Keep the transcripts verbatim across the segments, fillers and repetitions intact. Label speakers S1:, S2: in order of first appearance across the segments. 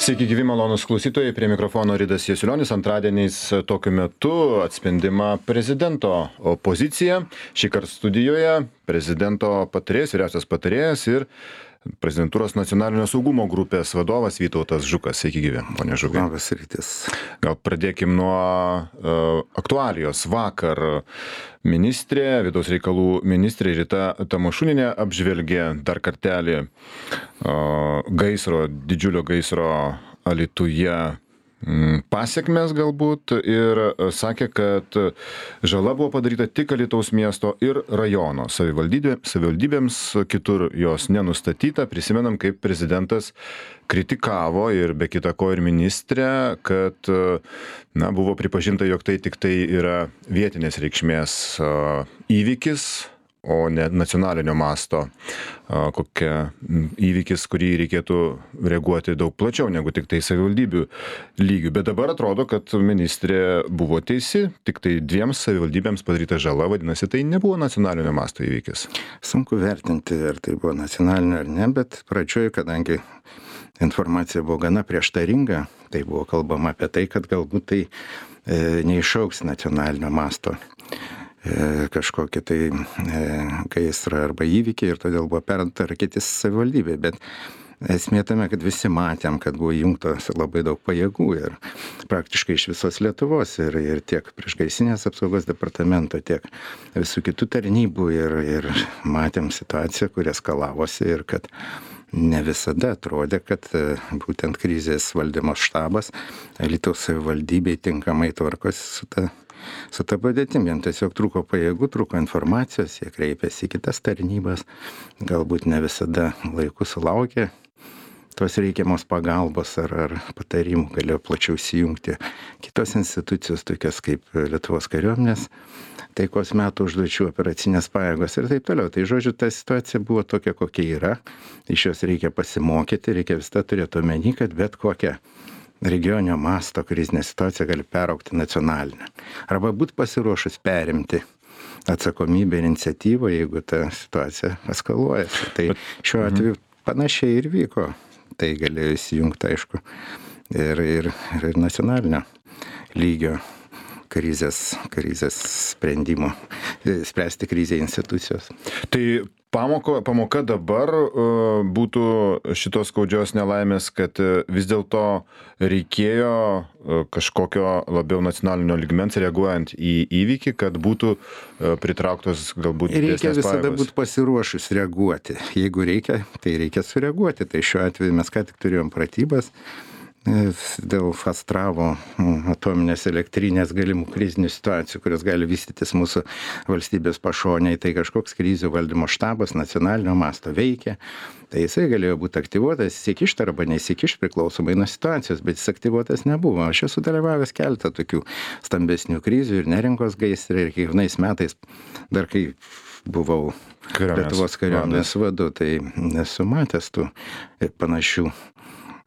S1: Sveiki gyvi malonūs klausytojai, prie mikrofono Ridas Jasiulionis. Antradieniais tokiu metu atspindima prezidento pozicija. Šįkart studijoje prezidento patarėjas, vyriausias patarėjas ir prezidentūros nacionalinio saugumo grupės vadovas Vytautas Žukas. Sveiki gyvi, ponia Žukai.
S2: Labas rytas.
S1: Gal pradėkim nuo uh, aktualijos. Vakar ministrė, vidaus reikalų ministrė Rita Tamašunienė apžvelgė dar kartelį uh, gaisro, didžiulio gaisro Alytuje pasiekmes galbūt ir sakė, kad žala buvo padaryta tik Alytaus miesto ir rajono savivaldybė, savivaldybėms, kitur jos nenustatyta. Prisimenam, kaip prezidentas kritikavo ir be kita ko ir ministrė, kad na, buvo pripažinta, jog tai tik tai yra vietinės reikšmės įvykis, o ne nacionalinio masto kokia įvykis, kurį reikėtų reaguoti daug plačiau negu tik tai savivaldybių lygių. Bet dabar atrodo, kad ministrė buvo teisi, tik tai dviems savivaldybėms padaryta žala, vadinasi, tai nebuvo nacionalinio masto įvykis.
S2: Sunku vertinti, ar tai buvo nacionalinio ar ne, bet pradžioje, kadangi informacija buvo gana prieštaringa, tai buvo kalbama apie tai, kad galbūt tai e, neišauks nacionalinio masto kažkokie tai gaisrą arba įvykiai ir todėl buvo perduota raketis savivaldybei. Bet esmė tame, kad visi matėm, kad buvo įjungtos labai daug pajėgų ir praktiškai iš visos Lietuvos ir, ir tiek priešgaisrinės apsaugos departamento, tiek visų kitų tarnybų ir, ir matėm situaciją, kuri eskalavosi ir kad ne visada atrodė, kad būtent krizės valdymo štabas Alytaus savivaldybei tinkamai tvarkosi su ta Su ta padėtim, jiems tiesiog trūko pajėgų, trūko informacijos, jie kreipėsi į kitas tarnybas, galbūt ne visada laiku sulaukė tos reikiamos pagalbos ar, ar patarimų, galėjo plačiau įsijungti kitos institucijos, tokios kaip Lietuvos kariuomenės, taikos metų užduočių operacinės pajėgos ir taip toliau. Tai žodžiu, ta situacija buvo tokia, kokia yra, iš jos reikia pasimokyti, reikia visada turėti omeny, kad bet kokia regioninio masto krizinė situacija gali peraugti nacionalinę. Arba būti pasiruošus perimti atsakomybę ir iniciatyvą, jeigu ta situacija eskaluojasi. Tai šiuo atveju panašiai ir vyko. Tai galėjo įsijungti, aišku, ir, ir, ir nacionalinio lygio krizės, krizės sprendimo, spręsti krizę institucijos.
S1: Tai Pamoko, pamoka dabar uh, būtų šitos skaudžios nelaimės, kad uh, vis dėlto reikėjo uh, kažkokio labiau nacionalinio lygmens reaguojant į įvykį, kad būtų uh, pritrauktos galbūt didesnės pajėgos.
S2: Reikia visada būti pasiruošus reaguoti. Jeigu reikia, tai reikia sureaguoti. Tai šiuo atveju mes ką tik turėjom pratybas dėl Astravo atominės elektrinės galimų krizinių situacijų, kurios gali vystytis mūsų valstybės pašonėje. Tai kažkoks krizių valdymo štabas nacionalinio masto veikia. Tai jisai galėjo būti aktyvuotas, įsikišti arba neįsikišti priklausomai nuo situacijos, bet jis aktyvuotas nebuvo. Aš esu dalyvavęs keletą tokių stambesnių krizių ir Neringos gaisrai ir kiekvienais metais, dar kai buvau Lietuvos kariuomenės vadu, tai esu matęs tų panašių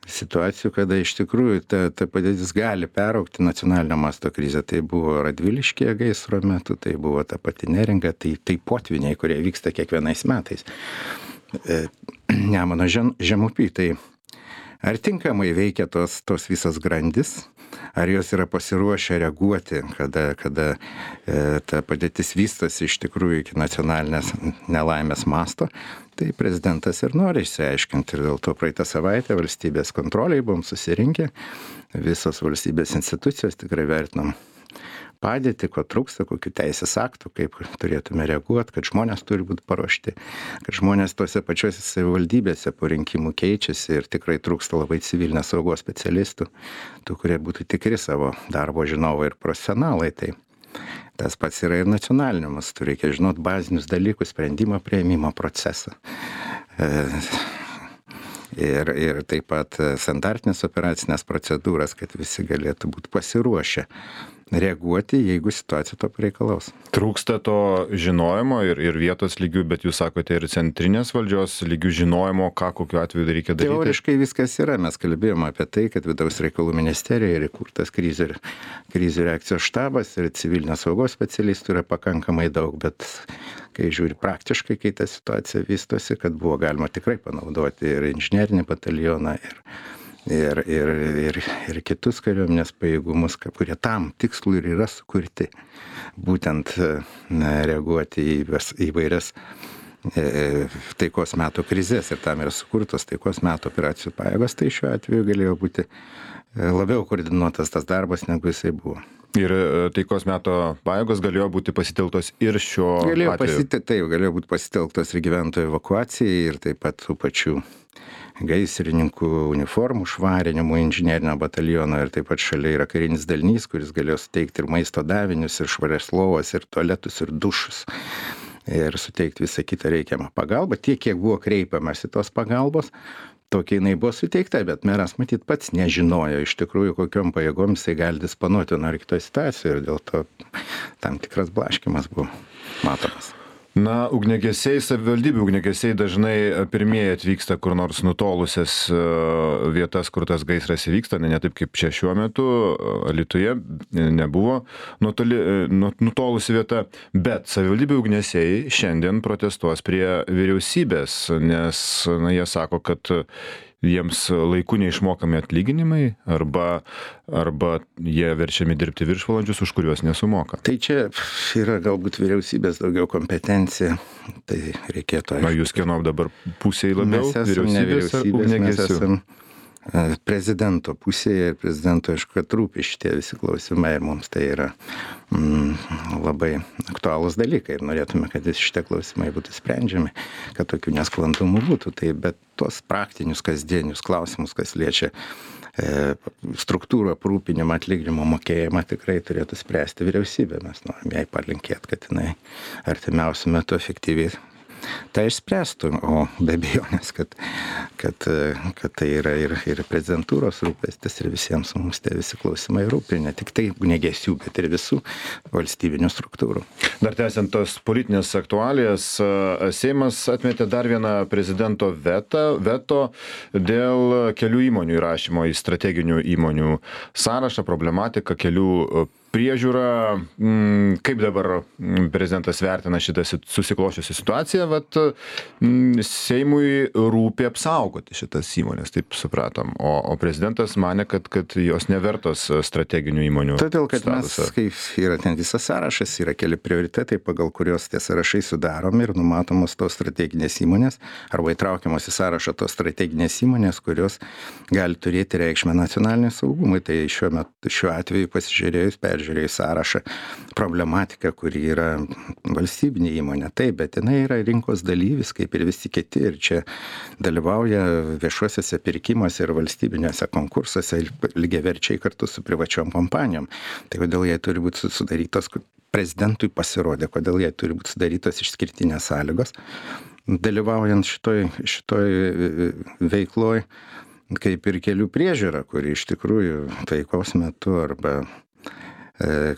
S2: situacijų, kada iš tikrųjų ta, ta padėtis gali peraugti nacionalinio masto krizę. Tai buvo Radviliškyje gaisro metu, tai buvo ta pati Neringa, tai, tai potviniai, kurie vyksta kiekvienais metais. E, Nemuno žem, žemupy, tai ar tinkamai veikia tos, tos visas grandis, ar jos yra pasiruošę reaguoti, kada, kada e, ta padėtis vystosi iš tikrųjų iki nacionalinės nelaimės masto. Tai prezidentas ir nori išsiaiškinti ir dėl to praeitą savaitę valstybės kontroliai buvom susirinkę, visos valstybės institucijos tikrai vertinam padėtį, ko trūksta, kokių teisės aktų, kaip turėtume reaguoti, kad žmonės turi būti paruošti, kad žmonės tose pačiose savivaldybėse po rinkimų keičiasi ir tikrai trūksta labai civilinės saugos specialistų, tų, kurie būtų tikri savo darbo žinovai ir profesionalai. Tai tas pats yra ir nacionaliniu mastu, reikia žinot bazinius dalykus, sprendimo priėmimo procesą. Ir, ir taip pat standartinės operacinės procedūras, kad visi galėtų būti pasiruošę reaguoti, jeigu situacija to pareikalaus.
S1: Trūksta to žinojimo ir, ir vietos lygių, bet jūs sakote ir centrinės valdžios lygių žinojimo, ką kokiu atveju reikia daryti.
S2: Teoriškai viskas yra. Mes kalbėjome apie tai, kad vidaus reikalų ministerija yra įkurtas krizių, krizių reakcijos štabas ir civilinės saugos specialistų yra pakankamai daug, bet kai žiūri praktiškai, kai ta situacija vystosi, kad buvo galima tikrai panaudoti ir inžinerinį batalioną, ir ir, ir, ir, ir kitus kariuomenės pajėgumus, kurie tam tikslui ir yra sukurti. Būtent na, reaguoti į įvairias e, taikos metų krizės ir tam yra sukurtos taikos metų operacijų pajėgos, tai šiuo atveju galėjo būti labiau koordinuotas tas darbas, negu jisai buvo.
S1: Ir taikos meto pajėgos galėjo būti pasitelktos ir šiuo
S2: galėjo
S1: atveju.
S2: Pasite, taip, galėjo būti pasitelktos ir gyventojų evakuacijai, ir taip pat tų pačių gaisrininkų uniformų švarinimų, inžinerinio bataliono, ir taip pat šalia yra karinis dalinys, kuris galėjo suteikti ir maisto davinius, ir švarias lovas, ir tualetus, ir dušus. Ir suteikti visą kitą reikiamą pagalbą. Tiek, kiek buvo kreipiamas į tos pagalbos, tokia jinai buvo suteikta, bet meras matyt pats nežinojo iš tikrųjų, kokiom pajėgom jisai gali disponuoti nuo kitoje situacijoje, ir dėl to tam tikras blaškimas buvo matomas.
S1: Na, ugniagesiai, savivaldybių ugniagesiai dažnai pirmieji atvyksta kur nors nutolusias vietas, kur tas gaisras įvyksta, ne, ne taip kaip čia šiuo metu, Alytuje nebuvo nutoli, nutolusi vieta, bet savivaldybių ugniagesiai šiandien protestuos prie vyriausybės, nes na, jie sako, kad jiems laiku neišmokami atlyginimai, arba, arba jie verčiami dirbti viršvalandžius, už kuriuos nesumoka.
S2: Tai čia yra galbūt vyriausybės daugiau kompetencija, tai reikėtų...
S1: Na, jūs kieno dabar pusėje labiau?
S2: Mes esame ne vyriausybės, mes esame prezidento pusėje, ir prezidento, aišku, kad rūpi šitie visi klausimai, ir mums tai yra mm, labai aktualūs dalykai, ir norėtume, kad šitie klausimai būtų sprendžiami, kad tokių nesklandumų būtų. Tai bet tos praktinius, kasdienius klausimus, kas liečia e, struktūrą, aprūpinimą, atlyginimo mokėjimą, tikrai turėtų spręsti vyriausybė. Mes norime jai palinkėti, kad jinai artimiausiu metu efektyviai tai išspręstų, o be abejonės, kad, kad, kad tai yra ir, ir prezidentūros rūpestis, ir visiems mums tie visi klausimai rūpi, ne tik tai ugniagesių, bet ir visų valstybinių struktūrų.
S1: Dar tęsiant tos politinės aktualijas, Seimas atmetė dar vieną prezidento vetą, veto dėl kelių įmonių įrašymo į strateginių įmonių sąrašą, problematiką kelių priežiūra. Kaip dabar prezidentas vertina šitą susiklošiusią situaciją? Vat Seimui rūpi apsaugoti šitas įmonės, taip supratom. O, o prezidentas mane, kad, kad jos nevertos strateginių įmonių.
S2: Todėl, kad
S1: statusą.
S2: Mes, kaip yra ten visas sąrašas, yra keli prioritetai, pagal kurios tie sąrašai sudaromi ir numatomos tos strateginės įmonės, arba įtraukiamos į sąrašą tos strateginės įmonės, kurios gali turėti reikšmę nacionaliniam saugumui. Tai šiuo metu, šiuo atveju pasižiūrėjus, peržiūrėjus sąrašą, problematika, kuri yra valstybinė įmonė. Taip, bet jinai yra rinkos dalyvis, kaip ir visi kiti, ir čia dalyvauja viešuosiuose pirkimuose ir valstybiniuose konkursuose lygiaverčiai kartu su privačiom kompanijom. Tai kodėl jai turi būti sudarytos, prezidentui pasirodė, kodėl jai turi būti sudarytos išskirtinės sąlygos, dalyvaujant šitoj, šitoj veikloj, kaip ir kelių priežiūra, kuri iš tikrųjų taikos metu arba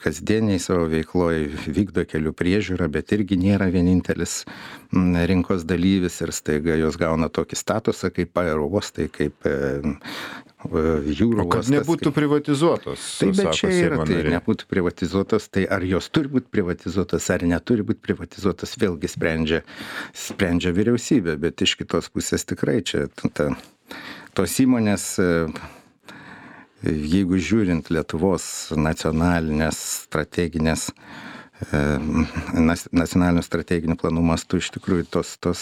S2: kasdieniai savo veikloje vykdo kelių priežiūrą, bet irgi nėra vienintelis rinkos dalyvis, ir staiga jos gauna tokį statusą kaip aerouostai, kaip jūrų uostas.
S1: O kad nebūtų kaip... privatizuotos.
S2: Tai bet čia yra, tai nebūtų privatizuotos, tai ar jos turi būti privatizuotos, ar neturi būti privatizuotos, vėlgi sprendžia, sprendžia vyriausybė, bet iš kitos pusės tikrai čia ta, tos įmonės, jeigu žiūrint Lietuvos nacionalinės strateginės, nacionalinių strateginių planų mastu, iš tikrųjų tos, tos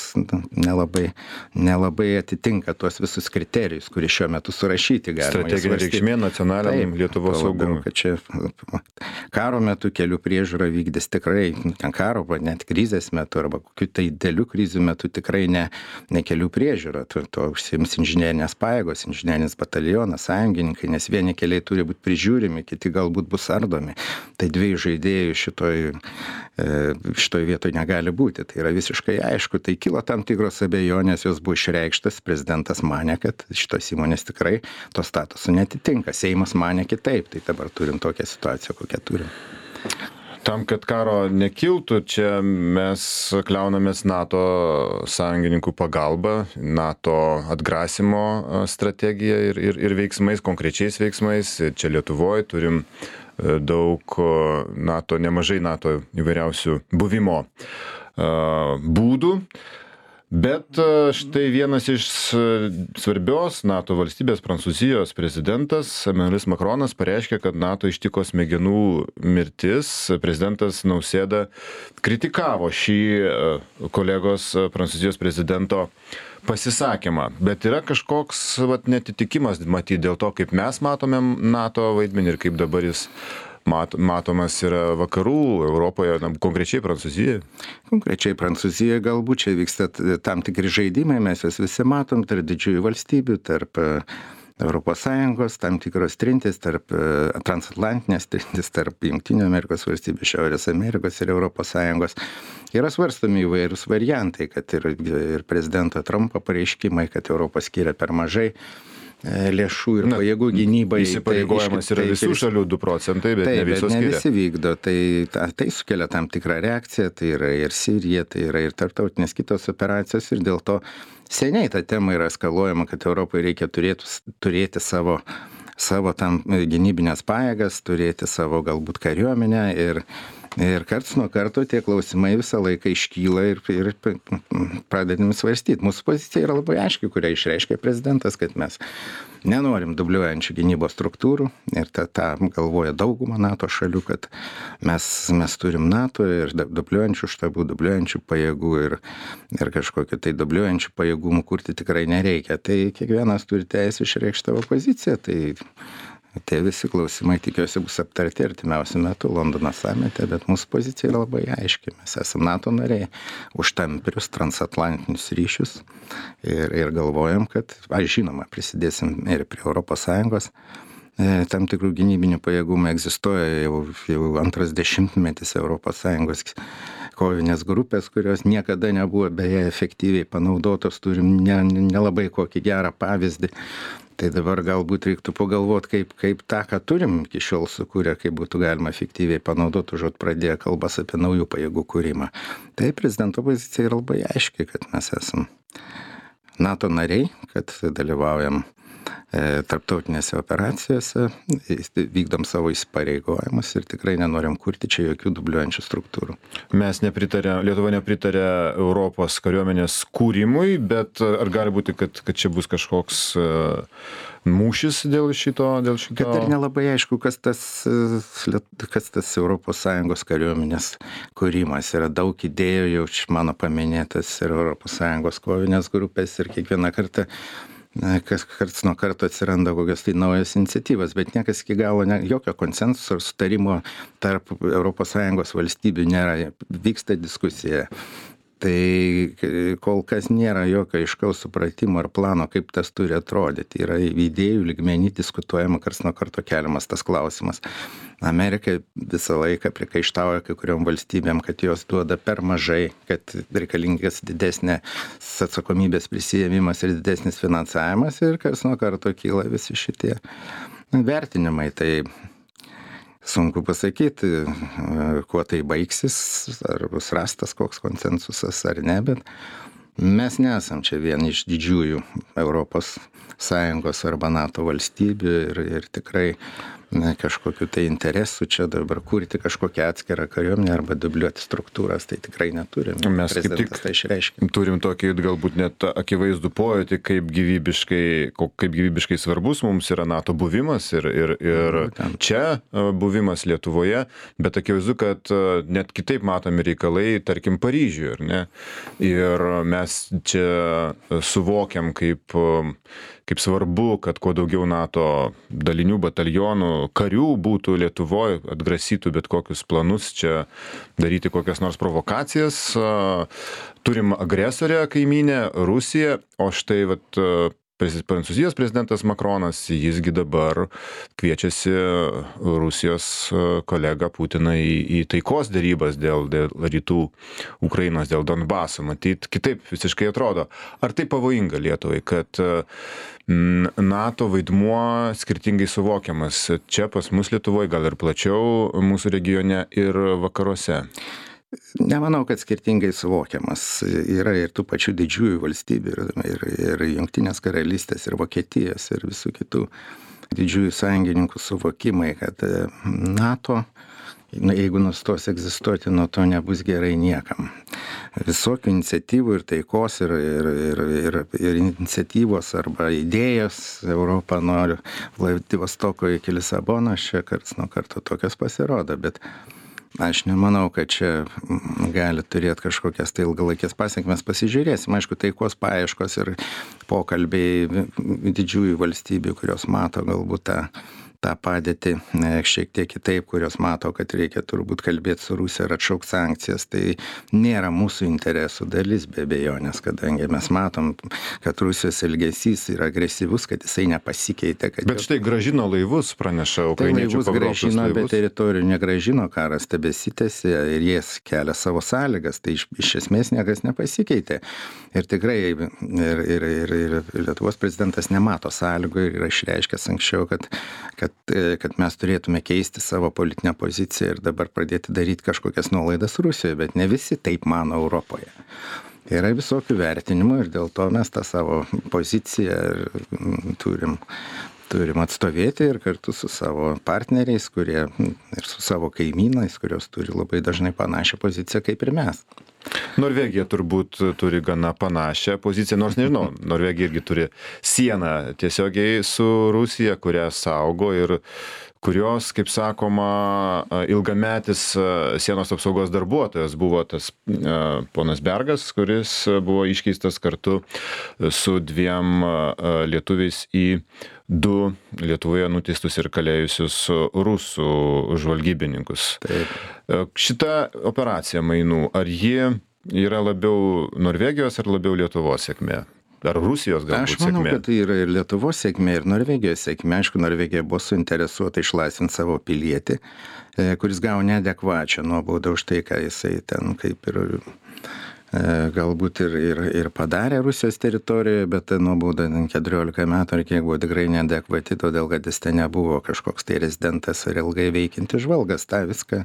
S2: nelabai, nelabai atitinka tuos visus kriterijus, kurie šiuo metu surašyti galima.
S1: Strateginė reikšmė nacionaliniam Lietuvos saugumui.
S2: Kad čia karo metu kelių priežiūra vykdys tikrai, karo, net krizės metu arba kokių tai dėlių krizių metu tikrai ne, ne kelių priežiūra. To, to užsiims inžinerinės pajėgos, inžinerinis batalionas, sąjungininkai, nes vieni keliai turi būti prižiūrimi, kiti galbūt bus ardomi. Tai dviejų žaidėjų šitoj šitoj vietoj negali būti. Tai yra visiškai aišku. Tai kilo tam tikros abejonės, jos buvo išreikštas. Prezidentas manė, kad šitos įmonės tikrai to statuso netitinka. Seimas manė kitaip. Tai dabar turim tokią situaciją, kokią turim.
S1: Tam, kad karo nekiltų, čia mes kliaunamės NATO sąjungininkų pagalba, NATO atgrasimo strategija ir, ir, ir veiksmais, konkrečiais veiksmais. Čia Lietuvoje turim daug NATO, nemažai NATO įvairiausių buvimo būdų. Bet štai vienas iš svarbios NATO valstybės, Prancūzijos prezidentas Emmanuelis Macronas pareiškė, kad NATO ištiko smegenų mirtis. Prezidentas Nausėda kritikavo šį kolegos Prancūzijos prezidento pasisakymą. Bet yra kažkoks vat, netitikimas matyti dėl to, kaip mes matome NATO vaidmenį ir kaip dabar jis Mat, matomas yra vakarų Europoje, na, konkrečiai Prancūzijoje?
S2: Konkrečiai Prancūzijoje galbūt čia vyksta tam tikri žaidimai, mes juos visi matom tarp didžiųjų valstybių, tarp Europos Sąjungos, tam tikros trintis, tarp transatlantinės trintis, tarp Jungtinių Amerikos valstybių, Šiaurės Amerikos ir Europos Sąjungos. Yra svarstomi įvairūs variantai, kad ir, ir prezidento Trumpo pareiškimai, kad Europa skiria per mažai lėšų ir Na, pajėgų gynybai.
S1: Įsipareigojimas tai, yra visų tai, šalių du procentai, bet
S2: taip,
S1: ne visos
S2: bet ne
S1: skiria.
S2: Visi vykdo. Tai, ta, tai sukelia tam tikrą reakciją, tai yra ir Sirija, tai yra ir tarptautinės kitos operacijos ir dėl to seniai ta tema yra eskaluojama, kad Europai reikia turėti, turėti savo, savo tam gynybinės pajėgas, turėti savo galbūt kariuomenę ir Ir karts nuo karto tie klausimai visą laiką iškyla ir, ir pradedami svarstyti. Mūsų pozicija yra labai aiški, kurią išreiškė prezidentas, kad mes nenorim dubliuojančių gynybos struktūrų ir tą, tą galvoja dauguma NATO šalių, kad mes, mes turim NATO ir dubliuojančių štabų, dubliuojančių pajėgų ir, ir kažkokiu tai dubliuojančių pajėgumų kurti tikrai nereikia. Tai kiekvienas turi teisę išreikšti savo poziciją. Tai Tie visi klausimai, tikiuosi, bus aptarti artimiausiu metu Londono samite, bet mūsų pozicija yra labai aiški. Mes esame NATO nariai už tamprius transatlantinius ryšius ir, ir galvojam, kad, aš žinoma, prisidėsim ir prie Europos Sąjungos. Tam tikrų gynybinių pajėgumų egzistuoja jau, jau antras dešimtmetis Europos Sąjungos kovinės grupės, kurios niekada nebuvo beje efektyviai panaudotos, turim nelabai ne kokį gerą pavyzdį. Tai dabar galbūt reiktų pagalvoti, kaip, kaip tą, ką turim iki šiol sukūrę, kaip būtų galima efektyviai panaudoti, užuot pradėję kalbas apie naujų pajėgų kūrimą. Tai prezidento pozicija yra labai aiški, kad mes esam NATO nariai, kad dalyvaujam e, tarptautinėse operacijose, vykdom savo įsipareigojimus ir tikrai nenorim kurti čia jokių dubliuojančių struktūrų.
S1: Mes nepritarė, Lietuva nepritarė Europos kariuomenės kūrimui, bet ar gali būti, kad, kad čia bus kažkoks uh, mūšis dėl šito, dėl šito?
S2: Kad dar nelabai aišku, kas tas, kas tas Europos Sąjungos kariuomenės kūrimas. Yra daug idėjų, jau mano paminėtas ir Europos Sąjungos kovinės grupės ir kiekvieną kartą kas karts nuo karto atsiranda kokios tai naujos iniciatyvos, bet niekas iki galo, ne, jokio konsensuso ar sutarimo tarp Europos Sąjungos valstybių nėra, vyksta diskusija. Tai kol kas nėra jokio aiškaus supratimo ar plano, kaip tas turi atrodyti. Yra idėjų lygmenį diskutuojama, karts nuo karto keliamas tas klausimas. Amerika visą laiką prikaištauja kai kuriom valstybėm, kad jos duoda per mažai, kad reikalingas didesnė atsakomybės prisijėmimas ir didesnis finansavimas ir karts nuo karto kyla visi šitie vertinimai. Tai sunku pasakyti, kuo tai baigsis, ar bus rastas koks konsensusas ar ne, bet mes nesam čia vieni iš didžiųjų Europos Sąjungos arba NATO valstybių ir, ir tikrai ne, kažkokiu tai interesu čia dabar kurti kažkokią atskirą kariuomenę arba dubliuoti struktūras, tai tikrai neturim.
S1: Mes kaip tik tai turim tokį galbūt net akivaizdų pojūtį, kaip gyvybiškai, kaip gyvybiškai svarbus mums yra NATO buvimas ir, ir, ir čia buvimas Lietuvoje, bet akivaizdu, kad net kitaip matomi reikalai, tarkim, Paryžiuje, ar ne? Ir mes čia suvokiam, kaip, kaip svarbu, kad kuo daugiau NATO dalinių, batalionų, karių būtų Lietuvoje, atgrasytų bet kokius planus čia daryti kokias nors provokacijas. Turim agresorę kaimynę Rusiją, o štai vat, Prancūzijos prezidentas Macronas, jisgi dabar kviečiasi Rusijos kolegą Putiną į, į taikos derybas dėl, dėl rytų Ukrainos, dėl Donbaso. Matyt, kitaip visiškai atrodo. Ar tai pavojinga Lietuvai, kad NATO vaidmuo skirtingai suvokiamas čia pas mus Lietuvoje, gal ir plačiau mūsų regione ir vakaruose?
S2: Nemanau, kad skirtingai suvokiamas. Yra ir tų pačių didžiųjų valstybių, ir, ir, ir Jungtinės karalystės, ir Vokietijos, ir visų kitų didžiųjų sąjungininkų suvokimai, kad NATO na, jeigu nustos egzistuoti, nuo to nebus gerai niekam. Visokių iniciatyvų ir taikos, ir, ir, ir, ir, ir iniciatyvos arba idėjos Europą nori Vladivostoko iki Lisabonos, čia karts nuo karto tokios pasirodo, bet aš nemanau, kad čia gali turėti kažkokias tai ilgalaikės pasiekmes. Pasižiūrėsim, aišku, taikos paieškos ir pokalbiai didžiųjų valstybių, kurios mato galbūt tą tą padėtį šiek tiek kitaip, kurios mato, kad reikia turbūt kalbėti su Rusija ir atšaukti sankcijas, tai nėra mūsų interesų dalis be abejonės, kadangi mes matom, kad Rusijos elgesys yra agresyvus, kad jisai nepasikeitė. Kad
S1: bet štai grąžino laivus, praneša ukrainiečių
S2: tai laivus grąžino, bet teritorijų negrąžino, karas tebesitęsė ir jie kelia savo sąlygas, tai iš, iš esmės niekas nepasikeitė. Ir tikrai ir, ir, ir, ir Lietuvos prezidentas nemato sąlygų ir yra išreiškęs anksčiau, kad, kad kad mes turėtume keisti savo politinę poziciją ir dabar pradėti daryti kažkokias nuolaidas Rusijoje, bet ne visi taip mano Europoje. Yra visokių vertinimų ir dėl to mes tą savo poziciją turim, turim atstovėti ir kartu su savo partneriais, kurie ir su savo kaimynais, kurios turi labai dažnai panašią poziciją kaip ir mes.
S1: Norvegija turbūt turi gana panašią poziciją, nors nežinau, Norvegija irgi turi sieną tiesiogiai su Rusija, kurią saugo ir kurios, kaip sakoma, ilgametis sienos apsaugos darbuotojas buvo tas ponas Bergas, kuris buvo iškeistas kartu su dviem lietuviais į du Lietuvoje nuteistus ir kalėjusius rusų žvalgybininkus.
S2: Taip.
S1: Šita operacija mainų, ar ji yra labiau Norvegijos ar labiau Lietuvos sėkmė? Ar Rusijos galbūt sėkmė?
S2: Aš manau, kad tai yra ir Lietuvos sėkmė, ir Norvegijos sėkmė. Aišku, Norvegija buvo suinteresuota išlaisvinti savo pilietį, kuris gavo neadekvačią nuobaudą už tai, ką jisai ten kaip ir galbūt ir, ir, ir padarė Rusijos teritorijoje, bet ta nuobauda keturiolika metų ar kiek buvo tikrai neadekvati, todėl kad jis ten nebuvo kažkoks tai rezidentas ar ilgai veikintis žvalgas. Ta viską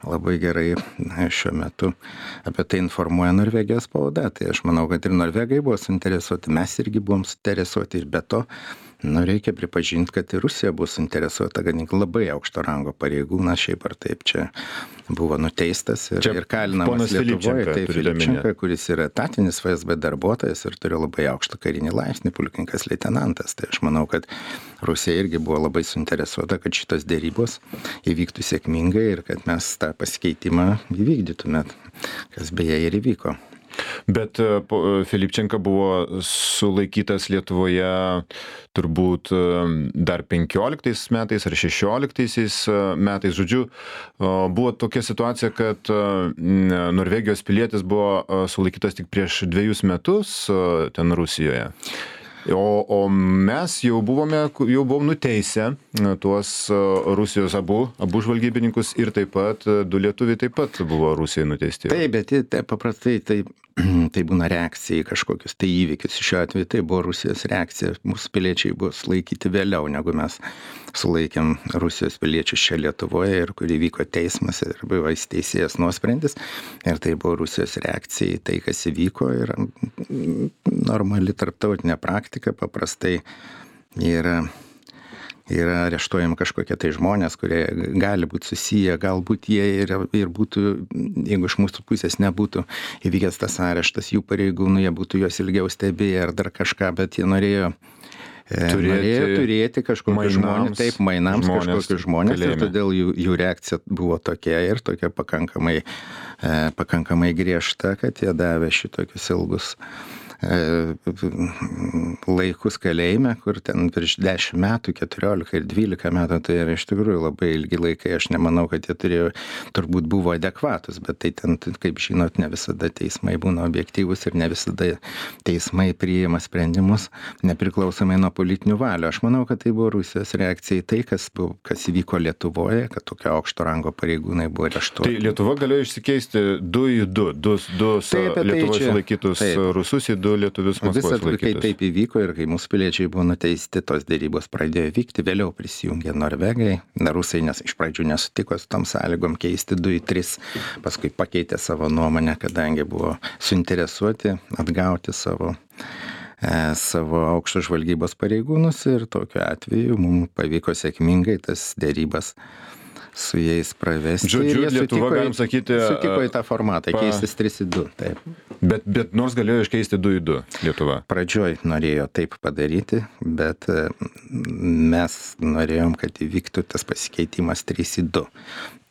S2: labai gerai na, šiuo metu apie tai informuoja Norvegijos spauda. Tai aš manau, kad ir norvegai buvo suinteresuoti, mes irgi buvom suinteresuoti ir be to, nu, reikia pripažinti, kad ir Rusija buvo suinteresuota, kad labai aukšto rango pareigūnas šiaip ar taip čia buvo nuteistas ir, ir kalinamas Lietuvoje. Tai Filipčenka, kuris yra etatinis F S B darbuotojas ir turi labai aukštą karinį laipsnį, pulkininkas leitenantas. Tai aš manau, kad Rusija irgi buvo labai suinteresuota, kad šitos dėrybos įvyktų sėkmingai ir kad mes tą pasikeitimą įvykdytume, kas beje ir įvyko.
S1: Bet Filipčenka buvo sulaikytas Lietuvoje turbūt dar penkioliktais metais ar šešioliktais metais. Žodžiu, buvo tokia situacija, kad Norvegijos pilietis buvo sulaikytas tik prieš dviejus metus ten Rusijoje. O, o mes jau buvome, jau buvom nuteisę tuos Rusijos abu, abu žvalgybininkus ir taip pat du lietuviai taip pat buvo Rusijai nuteisti.
S2: Taip, bet tai, paprastai tai, tai būna reakcija į kažkokius tai įvykius. Šiuo atveju tai buvo Rusijos reakcija. Mūsų piliečiai buvo sulaikyti vėliau, negu mes sulaikėm Rusijos piliečius čia Lietuvoje ir kur įvyko teismas ir buvo įsteisėjęs nuosprendis. Ir tai buvo Rusijos reakcija į tai, kas įvyko. Ir normali tarptautinė praktika paprastai yra yra areštuojami kažkokie tai žmonės, kurie gali būti susiję, galbūt jie ir, ir būtų, jeigu iš mūsų pusės nebūtų įvykęs tas areštas, jų pareigūnų, jie būtų juos ilgiau stebėję ar dar kažką, bet jie norėjo turėti, norėjo turėti kažkokius žmonės, taip, mainams žmonės, kažkokius žmonės kalėjime. Ir todėl jų, jų reakcija buvo tokia ir tokia pakankamai, pakankamai griežta, kad jie davė šitokius ilgus laikus kalėjime, kur ten virš dešimt metų, keturiolika ir dvylika metų, tai yra iš tikrųjų labai ilgi laikai. Aš nemanau, kad jie turėjo, turbūt buvo adekvatus, bet tai ten, kaip žinot, ne visada teismai būna objektyvus ir ne visada teismai priima sprendimus nepriklausomai nuo politinių valių. Aš manau, kad tai buvo Rusijos reakcija į tai, kas, buvo, kas įvyko Lietuvoje, kad tokio aukšto rango pareigūnai buvo areštuoti.
S1: Tai Lietuva galėjo išsikeisti du į du, du, du taip, Lietuvoje tai sulaikytus taip. Rusus į du lietuvius Maskvoje sulaikytus.
S2: Kai taip įvyko ir kai mūsų piliečiai buvo nuteisti, tos dėrybos pradėjo vykti, vėliau prisijungė Norvegai. Rusai nes, iš pradžių nesutiko su tom sąlygom keisti du į tris, paskui pakeitė savo nuomonę, kadangi buvo suinteresuoti atgauti savo, e, savo aukšto žvalgybos pareigūnus ir tokiu atveju mums pavyko sėkmingai tas dėrybas su jais pravesti.
S1: Žodžiu, Lietuva, galim sakyti,
S2: sutiko į tą formatą, pa... keistis trys į du. Taip.
S1: Bet, bet nors galėjo iškeisti du į du Lietuva.
S2: Pradžioj norėjo taip padaryti, bet mes norėjom, kad įvyktų tas pasikeitimas trys į du.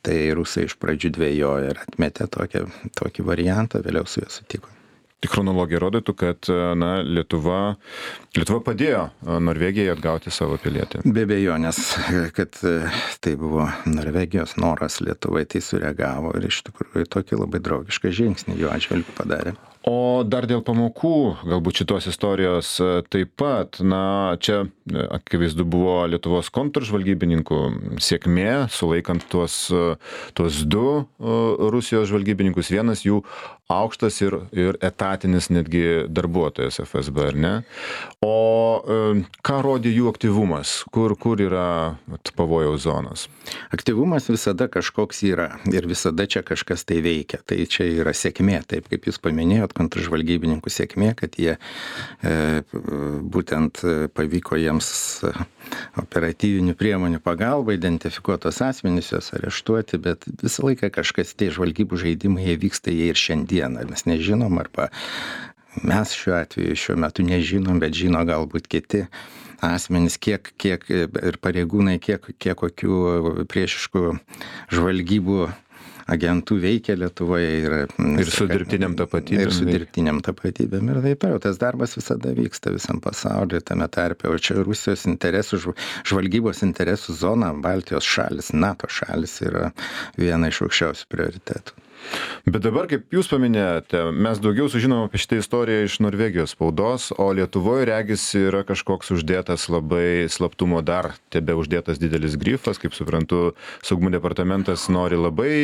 S2: Tai rusai iš pradžių dvejojo ir atmetė tokį, tokį variantą, vėliau su juo sutiko.
S1: Chronologija rodytų, kad na, Lietuva, Lietuva padėjo Norvegijai atgauti savo pilietį.
S2: Be abejonės, kad tai buvo Norvegijos noras, Lietuvai tai sureagavo ir iš tikrųjų tokį labai draugišką žingsnį jo atžvilgiu padarė.
S1: O dar dėl pamokų, galbūt šitos istorijos taip pat, na, čia akivaizdu buvo Lietuvos kontržvalgybininkų sėkmė, sulaikant tuos, tuos du Rusijos žvalgybininkus, vienas jų aukštas ir, ir etatinis netgi darbuotojas F S B, ar ne? O ką rodė jų aktyvumas? Kur, kur yra pavojaus zonos?
S2: Aktyvumas visada kažkoks yra ir visada čia kažkas tai veikia. Tai čia yra sėkmė, taip kaip jūs paminėjot, kontržvalgybininkų sėkmė, kad jie e, būtent pavyko jiems operatyvinių priemonių pagalba identifikuotos asmenys, juos areštuoti, bet visą laiką kažkas, tie žvalgybų žaidimai, jie vyksta jie ir šiandieną. Mes nežinom, arba mes šiuo atveju šiuo metu nežinom, bet žino galbūt kiti asmenys, kiek, kiek ir pareigūnai, kiek, kiek kokių priešiškų žvalgybų agentų veikia Lietuvoje. Ir,
S1: ir su dirbtiniam tapatybėm.
S2: Ir su dirbtiniam tapatybėm. Ir taip toliau. Tas darbas visada vyksta visam pasaulyje, tame tarpe. O čia Rusijos interesų, žvalgybos interesų zona, Baltijos šalis, NATO šalis yra viena iš aukščiausių prioritetų.
S1: Bet dabar, kaip jūs paminėjote, mes daugiau sužinom apie šitą istoriją iš Norvegijos spaudos, o Lietuvoje regis yra kažkoks uždėtas labai slaptumo dar tebe uždėtas didelis grifas, kaip suprantu, saugumo departamentas nori labai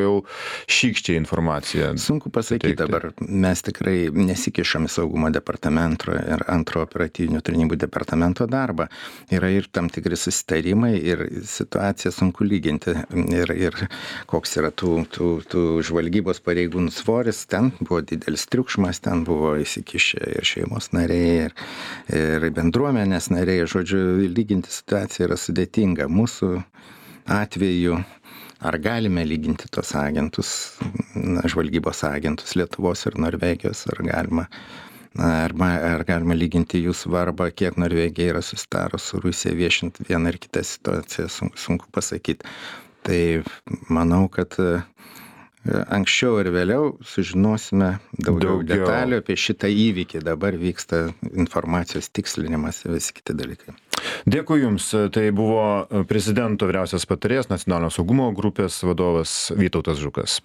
S1: jau šykščiai informaciją.
S2: Sunku pasakyti dabar, mes tikrai nesikišam į saugumo departamento ir antro operatyvinių tarnybų departamento darbą. Yra ir tam tikri susitarimai ir situaciją sunku lyginti ir, ir koks yra tų, tų, tų žvalgybos pareigūnų svoris, ten buvo didelis triukšmas, ten buvo įsikišę ir šeimos nariai, ir, ir bendruomenės nariai, žodžiu, lyginti situaciją yra sudėtinga. Mūsų atveju, ar galime lyginti tos agentus, žvalgybos agentus Lietuvos ir Norvegijos, ar galima, ar, ar galima lyginti jų svarbą, kiek Norvegija yra susitarus su Rusija viešint vieną ir kitą situaciją, sunku, sunku pasakyti. Tai manau, kad anksčiau ir vėliau sužinosime daugiau, daugiau detalių apie šitą įvykį. Dabar vyksta informacijos tikslinimas ir visi kiti dalykai.
S1: Dėkui Jums. Tai buvo prezidento vyriausias patarėjas Nacionalinio saugumo grupės vadovas Vytautas Žukas.